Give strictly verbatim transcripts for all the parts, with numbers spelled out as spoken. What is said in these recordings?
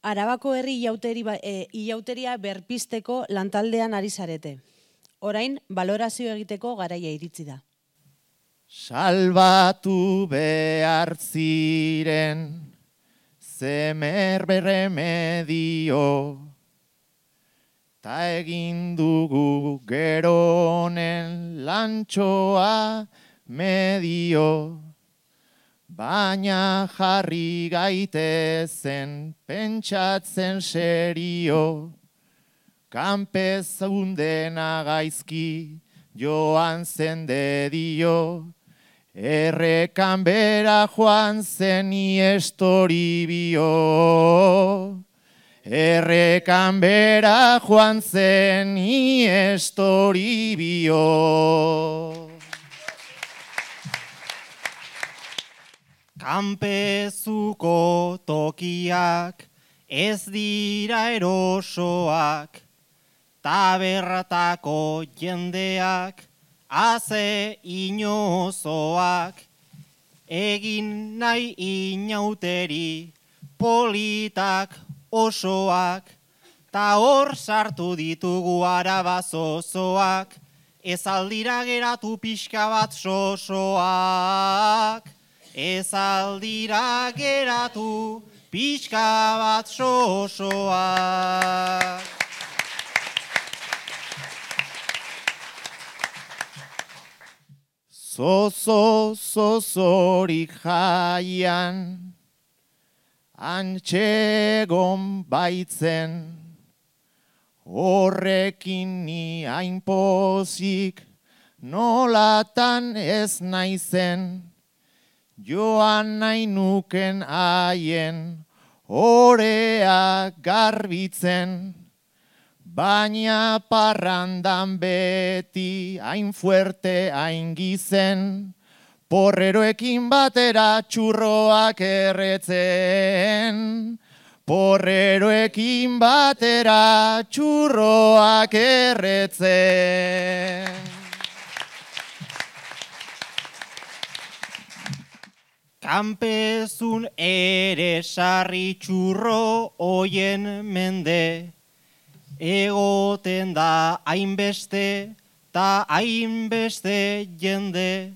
Arabako herri ilauteria berpizteko lantaldean ari zarete. Orain, balorazio egiteko garaia iritsi da. Salbatu behar ziren, zemer berremedio, ta egin dugu geronen lantxoa medio, baina jarri gaitezen pentsatzen serio, kanpezundena gaizki joan zen dedio, errekan bera joan zen iestoribio, errekan bera joan zen iestoribio. Kanpezuko tokiak ez dira erosoak, taberratako jendeak haze inozoak, egin nahi inauteri politak osoak, ta hor sartu ditugu arabazozoak, ez aldira geratu pixka bat sosoak, ez aldira geratu pixka bat sosoak. Zozo zozorik jaian, antxegon baitzen, horrekin ni hain pozik, nolatan ez naizen, joan nahi nuken haien, orea garbitzen, baina parrandan beti hain fuerte hain gizen, porreroekin batera txurroak erretzen, porreroekin batera txurroak erretzen. Kanpezun ere sarri txurro oien mende, egoten da hainbeste ta hainbeste jende,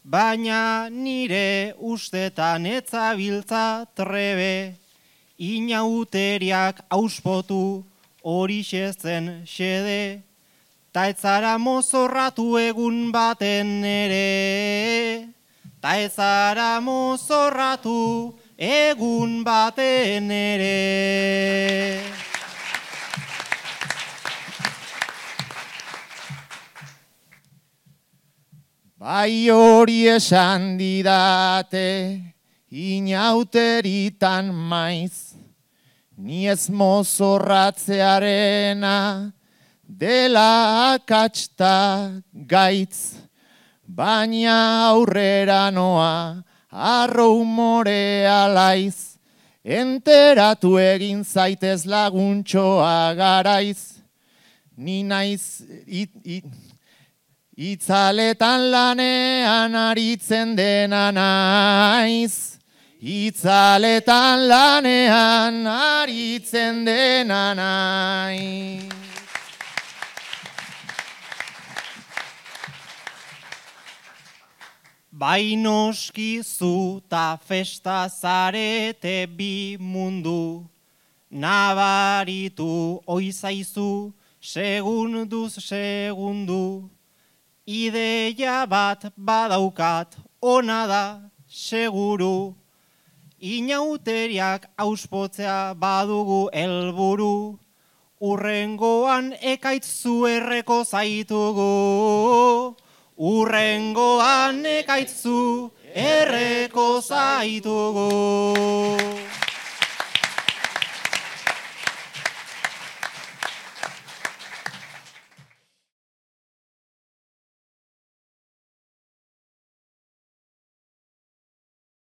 baina nire ustetan etzabiltza trebe, inauteriak auspotu horixe zen xede, ta etzara mozorratu egun baten ere, ta etzara mozorratu egun baten ere. Bai hori esan didate, inauteritan maiz, ni ez mozorratzearena dela akatsta gaitz, baina aurrera noa arro humorea laiz, enteratu egin zaitez laguntxoa garaiz, ni naiz it, it, itzaletan lanean aritzen dena naiz, itzaletan lanean aritzen dena naiz. Bai noski zu ta festa zarete bi mundu, nabaritu oizaizu segunduz segundu, ideia bat badaukat ona da seguru, inauteriak auspotzea badugu helburu, urrengoan ekaitzu erreko zaitugu, urrengoan ekaitzu erreko zaitugu.